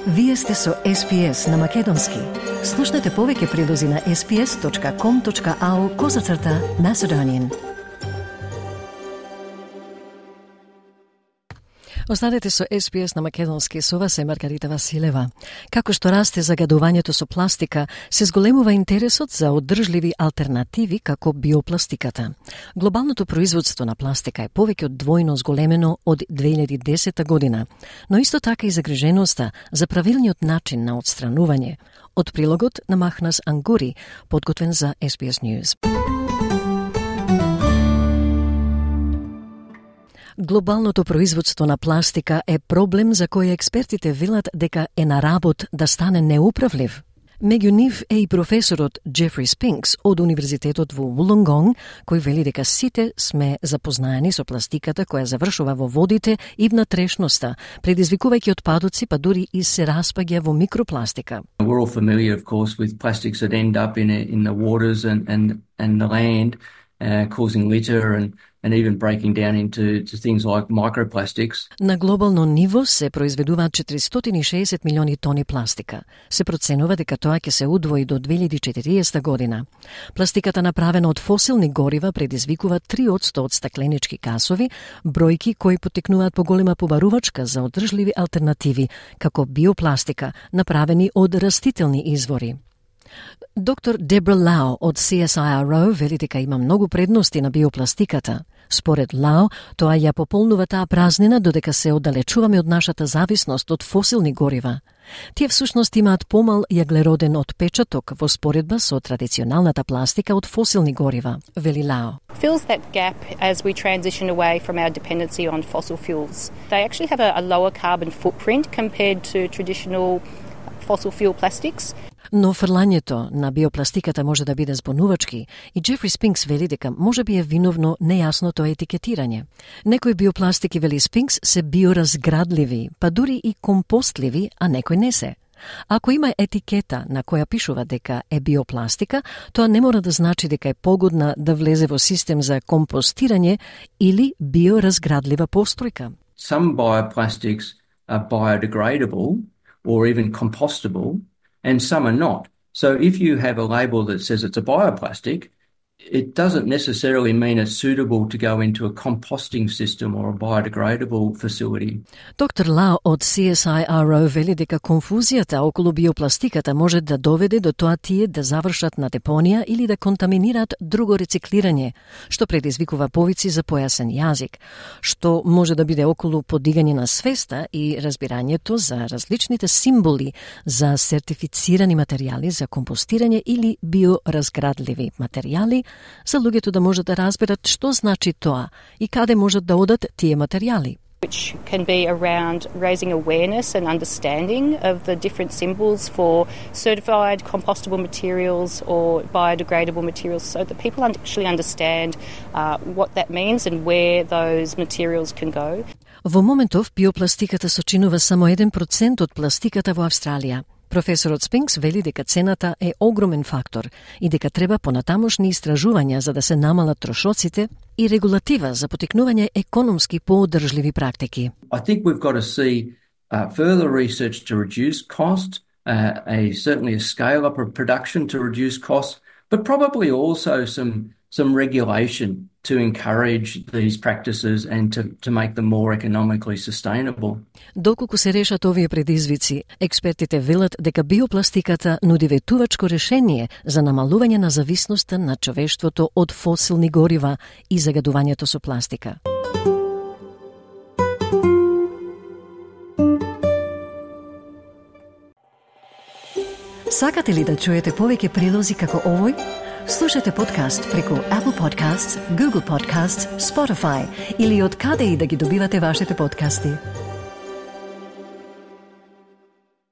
Вие сте со SPS на Македонски. Слушнете повеќе прилози на sps.com.au/Macedonian. Останете со SPS на Македонски, со вас е Маргарита Василева. Како што расте загадувањето со пластика, се зголемува интересот за одржливи алтернативи како биопластиката. Глобалното производство на пластика е повеќе од двојно зголемено од 2010 година, но исто така и загриженоста за правилниот начин на отстранување. Од прилогот на Махнас Ангури, подготвен за SPS News. Глобалното производство на пластика е проблем за кој експертите велат дека е на работ да стане неуправлив. Меѓу нив е и професорот Джефри Спинкс од Универзитетот во Вулонгонг, кој вели дека сите сме запознаени со пластиката која завршува во водите и внатрешноста, предизвикувајќи отпадоци, па дури и се распаѓа во микропластика. We're all familiar, of course, with plastics that end up in the waters and the land, causing litter and even breaking down into things like microplastics. На глобално ниво се произведуваат 460 милиони тони пластика. Се проценува дека тоа ќе се удвои до 2040 година. Пластиката направена од фосилни горива предизвикува 3% од стакленички гасови, бројки кои потекнуваат поголема побарувачка за одржливи алтернативи, како биопластика, направени од растителни извори. Доктор Дебра Лао од CSIRO вели дека има многу предности на биопластиката. Според Лао, тоа ја пополнува таа празнина додека се оддалечуваме од нашата зависност од фосилни горива. Тие всушност имаат помал јаглероден отпечаток во споредба со традиционалната пластика од фосилни горива, вели Лао. Fills that gap as we transition away from our dependency on fossil fuels. They actually have a lower carbon footprint compared to traditional fossil fuel plastics. Но фрлањето на биопластиката може да биде збунувачки и Джефри Спинкс вели дека може би е виновно нејасното етикетирање. Некои биопластики, вели Спинкс, се биоразградливи, па дури и компостливи, а некои не се. Ако има етикета на која пишува дека е биопластика, тоа не мора да значи дека е погодна да влезе во систем за компостирање или биоразградлива постројка. Some bioplastics are biodegradable or even compostable, and some are not. So if you have a label that says it's a bioplastic, it doesn't necessarily mean it's suitable to go into a composting system or a biodegradable facility. Доктор Лао од CSIRO вели дека конфузијата околу биопластиката може да доведе до тоа тие да завршат на депонија или да контаминираат друго рециклирање, што предизвикува повици за појасен јазик, што може да биде околу подигање на свеста и разбирањето за различните символи за сертифицирани материјали за компостирање или биоразградливи материјали, за луѓето да можат да разберат што значи тоа и каде можат да одат тие материјали. Which can be around raising awareness and understanding of the different symbols for certified compostable materials or biodegradable materials so that people actually understand what that means and where those materials can go. Во моментов биопластиката сочинува само 1% од пластиката во Австралија. Професорот Спинкс вели дека цената е огромен фактор и дека треба понатамошни истражувања за да се намалат трошоците и регулатива за потекнување економски поодржливи практики. I think we've got to see further research to reduce cost, certainly a scale up of production to reduce costs, but probably also some regulation to encourage these practices and to make them more economically sustainable. Доколку се решат овие предизвици, експертите велат дека биопластиката нуди ветувачко решение за намалување на зависноста на човештвото од фосилни горива и загадувањето со пластика. Сакате ли да чуете повеќе прилози како овој? Слушате подкаст преку Apple Podcasts, Google Podcasts, Spotify или од каде и да ги добивате вашите подкасти.